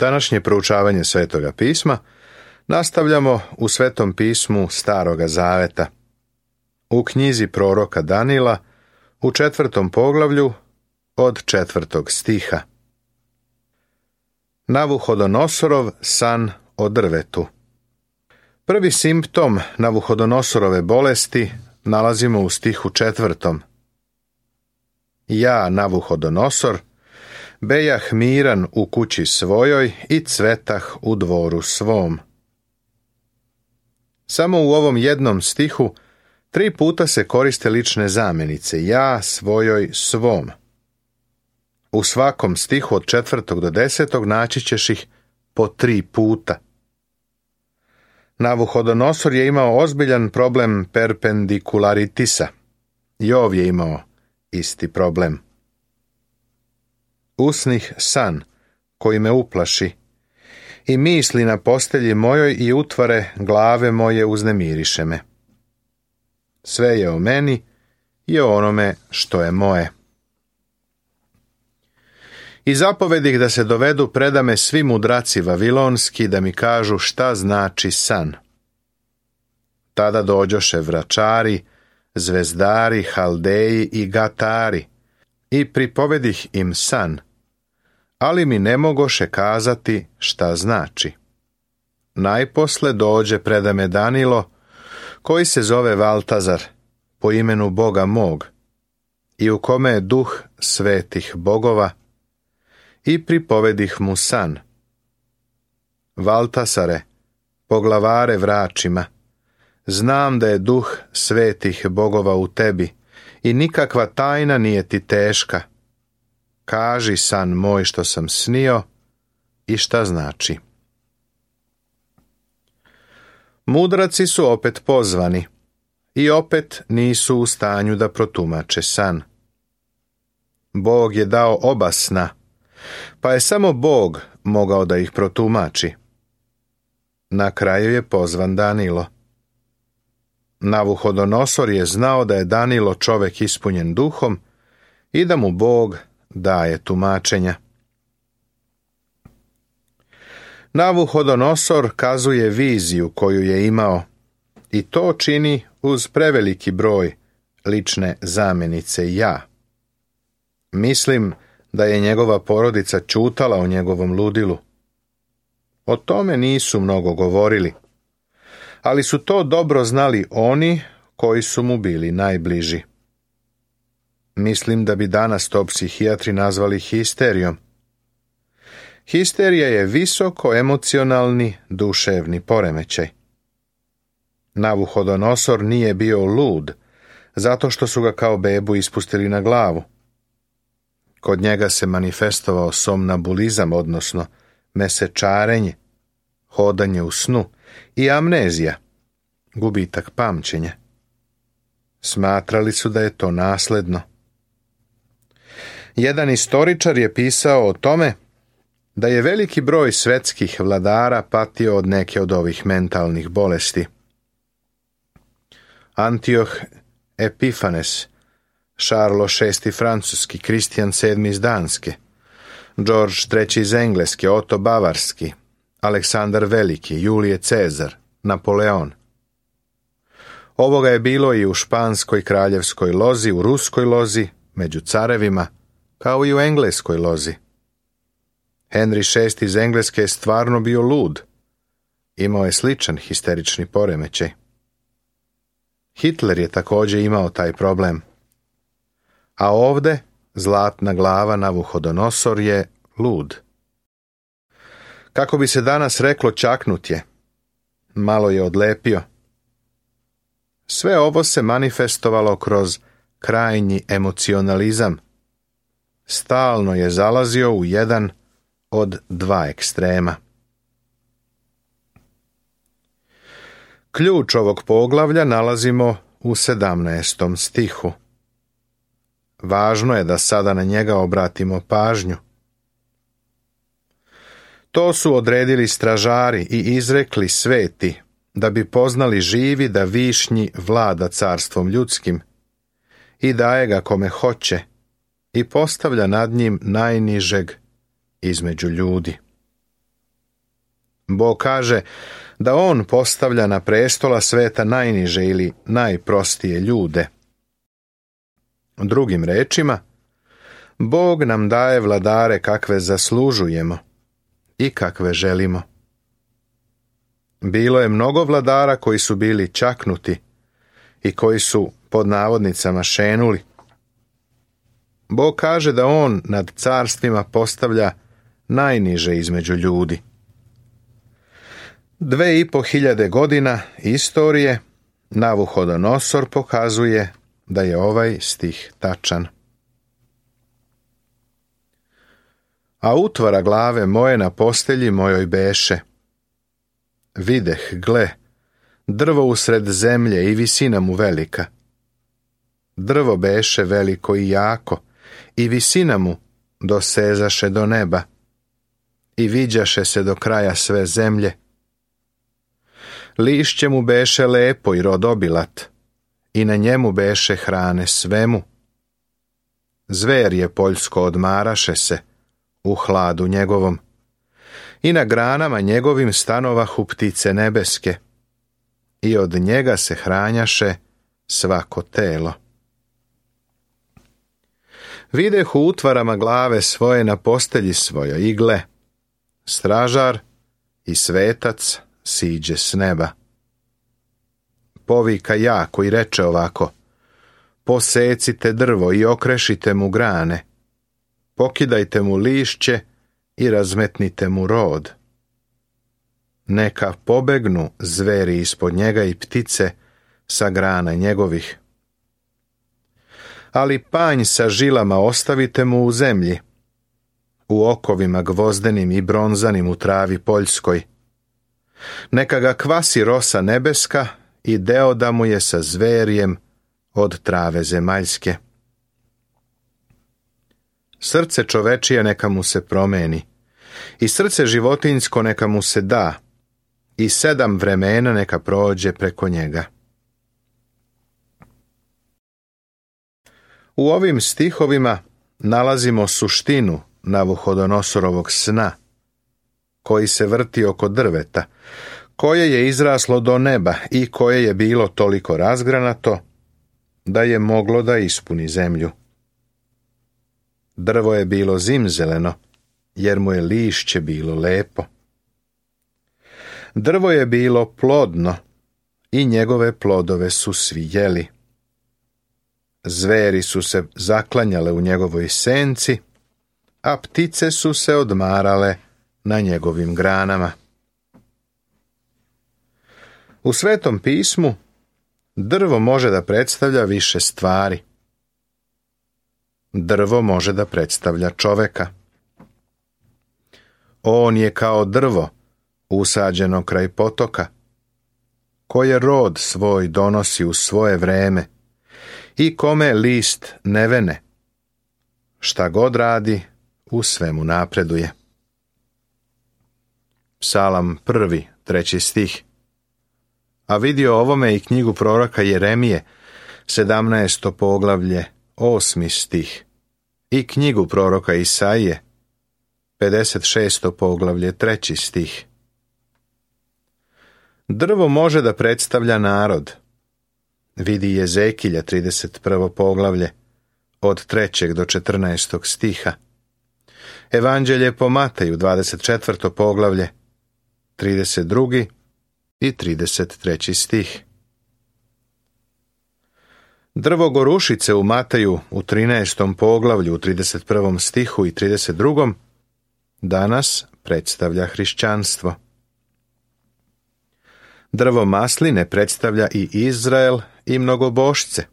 Današnje proučavanje Svetoga pisma nastavljamo u Svetom pismu Staroga Zaveta. U knjizi proroka Danila u 4. poglavlju od 4. stiha. Navuhodonosorov san o drvetu. Prvi simptom Navuhodonosorove bolesti nalazimo u stihu 4. Ja, Navuhodonosor, bejah miran u kući svojoj i cvetah u dvoru svom. Samo u ovom jednom stihu 3 puta se koriste lične zamjenice ja, svojoj, svom. U svakom stihu od 4. do 10. naći ćeš ih po 3 puta. Navuhodonosor je imao ozbiljan problem perpendikularitisa. Jov je imao isti problem. Usnih san koji me uplaši i misli na postelji mojoj i utvare glave moje uznemiriše me. Sve je o meni i o onome što je moje. I zapovedih da se dovedu predame svi mudraci vavilonski da mi kažu šta znači san. Tada dođoše vračari, zvezdari, haldeji i gatari i pripovedih im san, ali mi ne mogoše kazati šta znači. Najposle dođe predame Danilo, koji se zove Valtazar, po imenu Boga mog, i u kome je duh svetih bogova, i pripovedih mu san. Valtasare, poglavare vračima, znam da je duh svetih bogova u tebi i nikakva tajna nije ti teška. Kaži san moj što sam snio i šta znači. Mudraci su opet pozvani i opet nisu u stanju da protumače san. Bog je dao oba sna, pa je samo Bog mogao da ih protumači. Na kraju je pozvan Danilo. Navuhodonosor je znao da je Danilo čovek ispunjen duhom i da mu Bog daje tumačenja. Navuhodonosor kazuje viziju koju je imao i to čini uz preveliki broj lične zamjenice ja. Mislim da je njegova porodica ćutala o njegovom ludilu. O tome nisu mnogo govorili, ali su to dobro znali oni koji su mu bili najbliži. Mislim da bi danas to psihijatri nazvali histerijom. Histerija je visoko emocionalni duševni poremećaj. Navuhodonosor nije bio lud, zato što su ga kao bebu ispustili na glavu. Kod njega se manifestovao somnambulizam, odnosno mesečarenje, hodanje u snu i amnezija, gubitak pamćenja. Smatrali su da je to nasledno. Jedan istoričar je pisao o tome da je veliki broj svetskih vladara patio od neke od ovih mentalnih bolesti. Antioh Epifanes, Charles VI francuski, Kristijan VII iz Danske, George III iz Engleske, Oto Bavarski, Aleksandar Veliki, Julije Cezar, Napoleon. Ovoga je bilo i u španskoj kraljevskoj lozi, u ruskoj lozi, među carevima, kao i u engleskoj lozi. Henry VI iz Engleske je stvarno bio lud. Imao je sličan histerični poremećaj. Hitler je također imao taj problem. A ovde zlatna glava Navuhodonosor je lud. Kako bi se danas reklo, čaknut je. Malo je odlepio. Sve ovo se manifestovalo kroz krajnji emocionalizam. Stalno je zalazio u jedan od 2 ekstrema. Ključ ovog poglavlja nalazimo u 17. stihu. Važno je da sada na njega obratimo pažnju. To su odredili stražari i izrekli sveti, da bi poznali živi da višnji vlada carstvom ljudskim i daje ga kome hoće i postavlja nad njim najnižeg između ljudi. Bog kaže da on postavlja na prestola sveta najniže ili najprostije ljude. Drugim rečima, Bog nam daje vladare kakve zaslužujemo i kakve želimo. Bilo je mnogo vladara koji su bili čaknuti i koji su pod navodnicama šenuli. Bog kaže da on nad carstvima postavlja najniže između ljudi. 2500 godina istorije Navuhodonosor pokazuje da je ovaj stih tačan. A utvara glave moje na postelji mojoj beše. Videh, gle, drvo usred zemlje i visina mu velika. Drvo beše veliko i jako, i visina mu dosezaše do neba, i viđaše se do kraja sve zemlje. Lišće mu beše lepo i rodobilat, i na njemu beše hrane svemu. Zver je poljsko odmaraše se u hladu njegovom, i na granama njegovim stanovahu ptice nebeske, i od njega se hranjaše svako telo. Videh u utvarama glave svoje na postelji svojoj i gle, stražar i svetac siđe s neba. Povika jako i reče ovako: posecite drvo i okrešite mu grane, pokidajte mu lišće i razmetnite mu rod. Neka pobegnu zveri ispod njega i ptice sa grana njegovih. Ali panj sa žilama ostavite mu u zemlji, u okovima gvozdenim i bronzanim u travi poljskoj. Neka ga kvasi rosa nebeska i deo da mu je sa zverjem od trave zemaljske. Srce čovečije neka mu se promeni, i srce životinjsko neka mu se da, i 7 vremena neka prođe preko njega. U ovim stihovima nalazimo suštinu Navuhodonosorovog sna, koji se vrti oko drveta, koje je izraslo do neba i koje je bilo toliko razgranato da je moglo da ispuni zemlju. Drvo je bilo zimzeleno, jer mu je lišće bilo lepo. Drvo je bilo plodno i njegove plodove su svi jeli. Zveri su se zaklanjale u njegovoj senci, a ptice su se odmarale na njegovim granama. U Svetom pismu drvo može da predstavlja više stvari. Drvo može da predstavlja čoveka. On je kao drvo usađeno kraj potoka, koje rod svoj donosi u svoje vreme i kome list ne vene. Šta god radi, u svemu napreduje. Psalam 1, 3 stih. A vidio ovome i knjigu proroka Jeremije, 17. poglavlje, 8. stih, i knjigu proroka Isaije, 56. poglavlje, 3. stih. Drvo može da predstavlja narod. Vidi Jezekilja, 31. poglavlje, od 3. do 14. stiha. Evanđelje po Mateju, 24. poglavlje, 32. i 33. stih. Drvo gorušice u Mateju u 13. poglavlju, u 31. stihu i 32. danas predstavlja hrišćanstvo. Drvo masline predstavlja i Izrael i mnogobošce.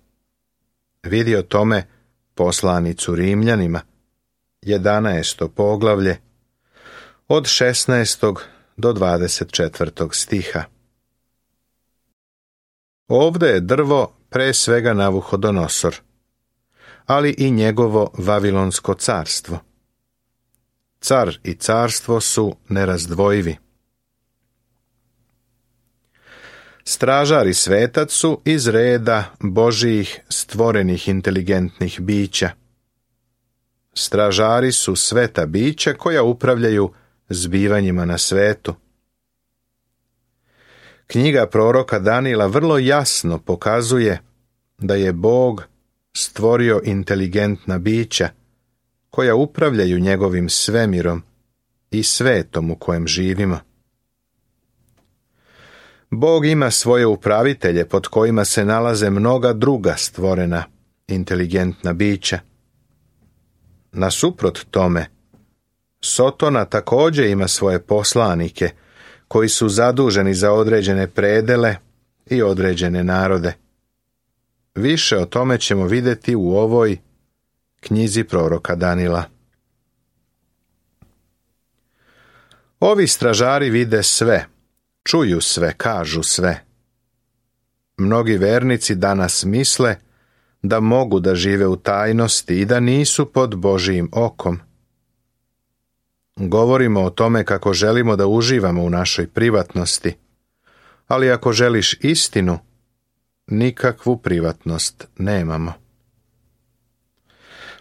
Vidi o tome poslanicu Rimljanima, 11. poglavlje, od 16. do 24. stiha. Ovde je drvo pre svega Navuhodonosor, ali i njegovo Vavilonsko carstvo. Car i carstvo su nerazdvojivi. Stražar i svetac su iz reda Božijih stvorenih inteligentnih bića. Stražari su sveta bića koja upravljaju zbivanjima na svetu, Knjiga proroka Danila vrlo jasno pokazuje da je Bog stvorio inteligentna bića koja upravljaju njegovim svemirom i svetom u kojem živimo. Bog ima svoje upravitelje pod kojima se nalaze mnoga druga stvorena inteligentna bića. Nasuprot tome, Sotona također ima svoje poslanike koji su zaduženi za određene predele i određene narode. Više o tome ćemo vidjeti u ovoj knjizi proroka Danila. Ovi stražari vide sve, čuju sve, kažu sve. Mnogi vernici danas misle da mogu da žive u tajnosti i da nisu pod Božijim okom. Govorimo o tome kako želimo da uživamo u našoj privatnosti, ali ako želiš istinu, nikakvu privatnost nemamo.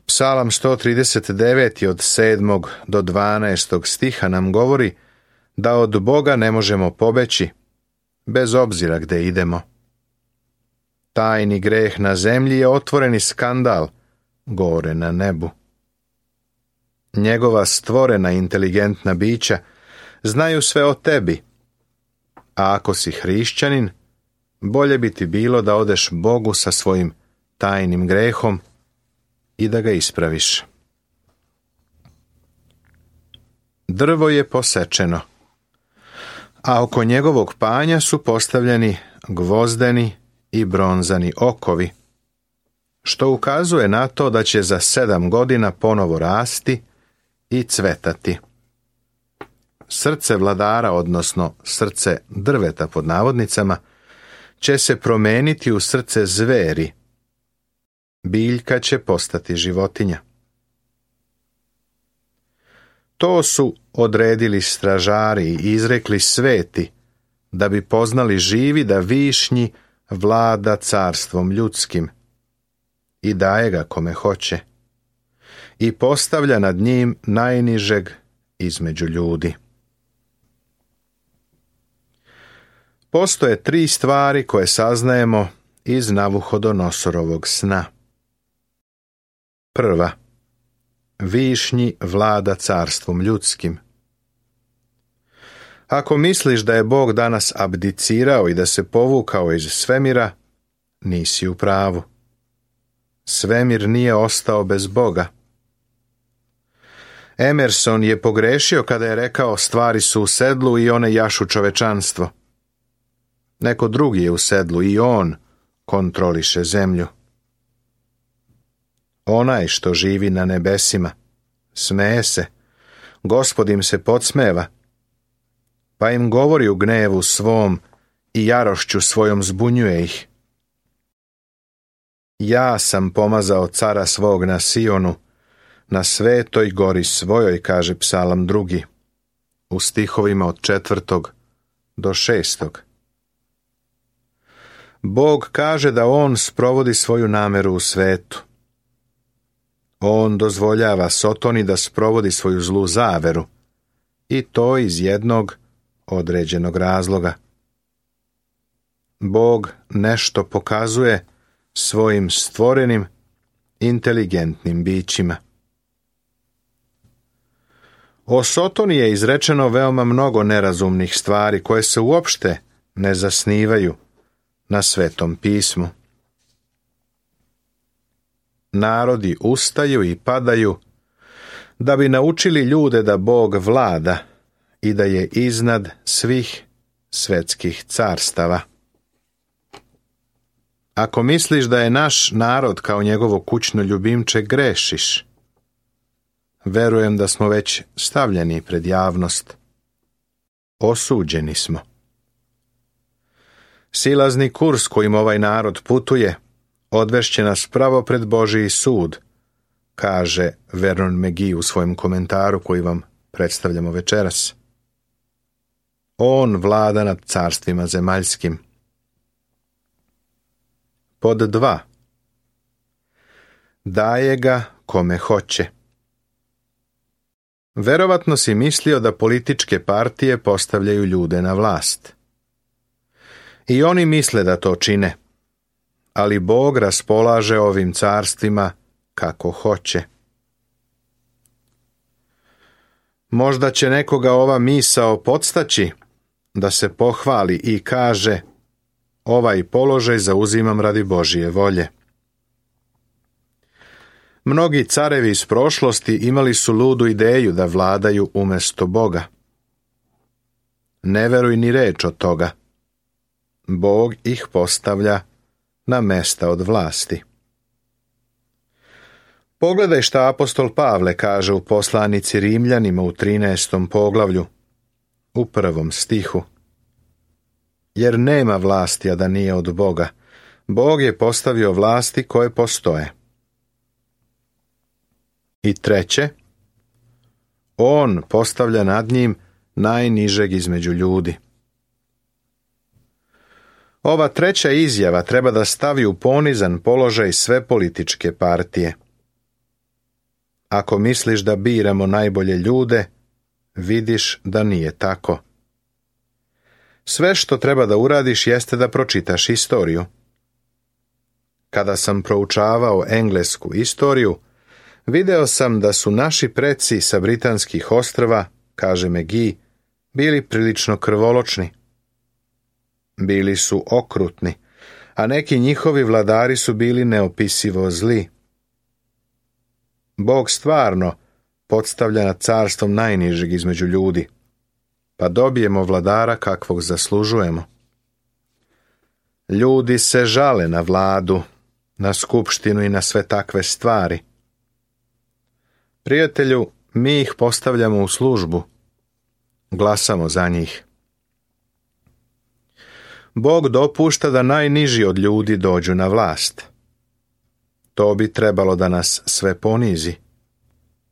Psalam 139 od 7. do 12. stiha nam govori da od Boga ne možemo pobeći, bez obzira gde idemo. Tajni greh na zemlji je otvoreni skandal gore na nebu. Njegova stvorena inteligentna bića znaju sve o tebi, a ako si hrišćanin, bolje bi ti bilo da odeš Bogu sa svojim tajnim grehom i da ga ispraviš. Drvo je posečeno, a oko njegovog panja su postavljeni gvozdeni i bronzani okovi, što ukazuje na to da će za 7 godina ponovo rasti i cvetati. Srce vladara, odnosno srce drveta pod navodnicama, će se promeniti u srce zveri. Biljka će postati životinja. To su odredili stražari i izrekli sveti, da bi poznali živi da višnji vlada carstvom ljudskim i daje ga kome hoće i postavlja nad njim najnižeg između ljudi. Postoje 3 stvari koje saznajemo iz Navuhodonosorovog sna. Prva, višnji vlada carstvom ljudskim. Ako misliš da je Bog danas abdicirao i da se povukao iz svemira, nisi u pravu. Svemir nije ostao bez Boga. Emerson je pogrešio kada je rekao stvari su u sedlu i one jašu čovečanstvo. Neko drugi je u sedlu i on kontroliše zemlju. Onaj što živi na nebesima smeje se, Gospod im se podsmeva, pa im govori u gnevu svom i jarošću svojom zbunjuje ih. Ja sam pomazao cara svog na Sionu, na svetoj gori svojoj, kaže Psalam 2, u stihovima od 4. do 6. Bog kaže da on sprovodi svoju nameru u svetu. On dozvoljava Sotoni da sprovodi svoju zlu zaveru, i to iz jednog određenog razloga. Bog nešto pokazuje svojim stvorenim, inteligentnim bićima. O Sotoni je izrečeno veoma mnogo nerazumnih stvari koje se uopšte ne zasnivaju na Svetom pismu. Narodi ustaju i padaju da bi naučili ljude da Bog vlada i da je iznad svih svetskih carstava. Ako misliš da je naš narod kao njegovo kućno ljubimče, grešiš. Verujem da smo već stavljeni pred javnost. Osuđeni smo. Silazni kurs kojim ovaj narod putuje odvešće nas pravo pred Božiji sud, kaže Vernon McGee u svojem komentaru koji vam predstavljamo večeras. On vlada nad carstvima zemaljskim. Pod 2. Daje ga kome hoće. Verovatno si mislio da političke partije postavljaju ljude na vlast. I oni misle da to čine, ali Bog raspolaže ovim carstvima kako hoće. Možda će nekoga ova misao podstaći da se pohvali i kaže: ovaj položaj zauzimam radi Božije volje. Mnogi carevi iz prošlosti imali su ludu ideju da vladaju umjesto Boga. Ne veruj ni reč od toga. Bog ih postavlja na mesta od vlasti. Pogledaj šta apostol Pavle kaže u poslanici Rimljanima u 13. poglavlju, u 1. stihu. Jer nema vlasti, a da nije od Boga. Bog je postavio vlasti koje postoje. I 3. On postavlja nad njim najnižeg između ljudi. Ova 3. izjava treba da stavi u ponizan položaj sve političke partije. Ako misliš da biramo najbolje ljude, vidiš da nije tako. Sve što treba da uradiš jeste da pročitaš istoriju. Kada sam proučavao englesku istoriju, video sam da su naši preci sa britanskih ostrva, kaže McGee, bili prilično krvoločni. Bili su okrutni, a neki njihovi vladari su bili neopisivo zli. Bog stvarno podstavlja nad carstvom najnižeg između ljudi, pa dobijemo vladara kakvog zaslužujemo. Ljudi se žale na vladu, na skupštinu i na sve takve stvari. Prijatelju, mi ih postavljamo u službu. Glasamo za njih. Bog dopušta da najniži od ljudi dođu na vlast. To bi trebalo da nas sve ponizi.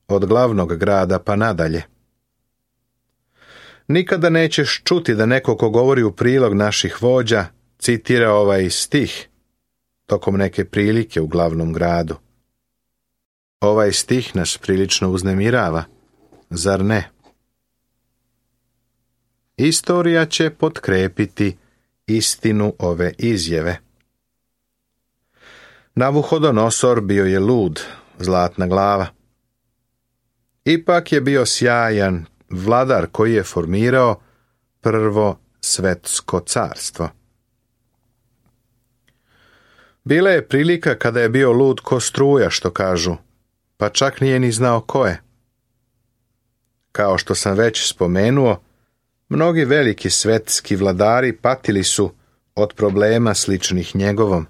Od glavnog grada pa nadalje. Nikada nećeš čuti da neko ko govori u prilog naših vođa citira ovaj stih tokom neke prilike u glavnom gradu. Ovaj stih nas prilično uznemirava, zar ne? Istorija će potkrepiti istinu ove izjave. Navuhodonosor bio je lud, zlatna glava. Ipak je bio sjajan vladar koji je formirao prvo svetsko carstvo. Bila je prilika kada je bio lud ko struja, što kažu, pa čak nije ni znao ko je. Kao što sam već spomenuo, mnogi veliki svetski vladari patili su od problema sličnih njegovom.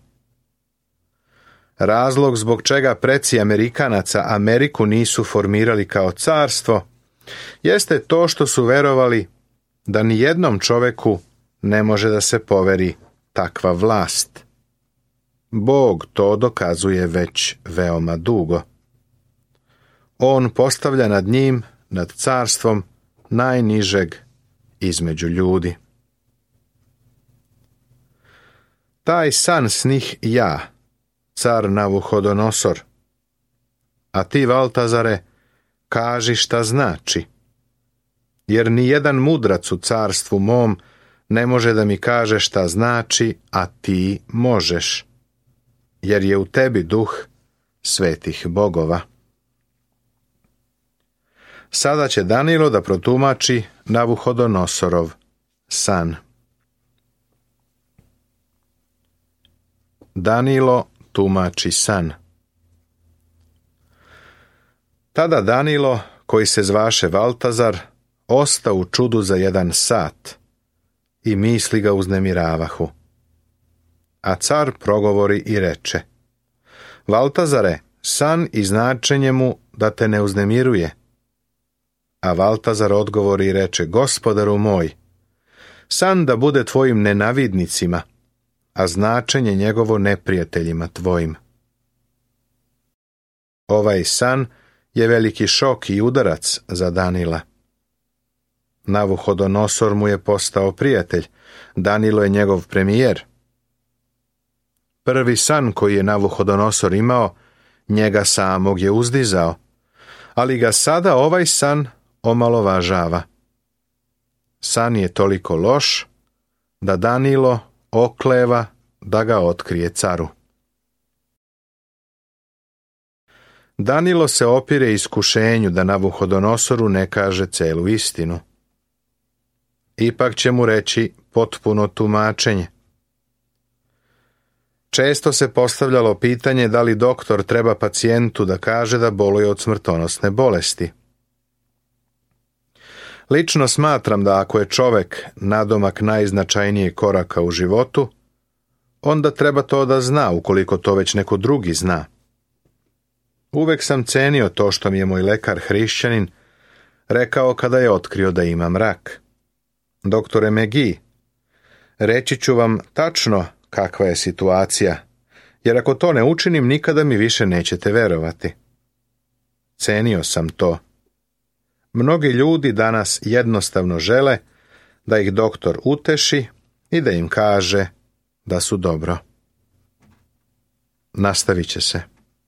Razlog zbog čega preci Amerikanaca Ameriku nisu formirali kao carstvo jeste to što su verovali da ni jednom čoveku ne može da se poveri takva vlast. Bog to dokazuje već veoma dugo. On postavlja nad njim, nad carstvom, najnižeg između ljudi. Taj san snih ja, car Navuhodonosor. A ti, Valtazare, kaži šta znači. Jer ni jedan mudrac u carstvu mom ne može da mi kaže šta znači, a ti možeš. Jer je u tebi duh svetih bogova. Sada će Danilo da protumači Navuhodonosorov san. Danilo tumači san. Tada Danilo, koji se zvaše Valtazar, ostao u čudu za 1 sat i misli ga uznemiravahu. A car progovori i reče: Valtazare, san i značenje mu da te ne uznemiruje. A Valtazar odgovori i reče: Gospodaru moj, san da bude tvojim nenavidnicima, a značenje njegovo neprijateljima tvojim. Ovaj san je veliki šok i udarac za Danila. Navuhodonosor mu je postao prijatelj, Danilo je njegov premijer. Prvi san koji je Navuhodonosor imao, njega samog je uzdizao, ali ga sada ovaj san omalovažava. San je toliko loš da Danilo okleva da ga otkrije caru. Danilo se opire iskušenju da Navuhodonosoru ne kaže celu istinu. Ipak će mu reći potpuno tumačenje. Često se postavljalo pitanje da li doktor treba pacijentu da kaže da boluje od smrtonosne bolesti. Lično smatram da ako je čovek nadomak najznačajnijeg koraka u životu, onda treba to da zna ukoliko to već neko drugi zna. Uvek sam cenio to što mi je moj lekar hrišćanin rekao kada je otkrio da imam rak. Doktore McGee, reći ću vam tačno kakva je situacija, jer ako to ne učinim, nikada mi više nećete verovati. Cenio sam to. Mnogi ljudi danas jednostavno žele da ih doktor uteši i da im kaže da su dobro. Nastavit će se.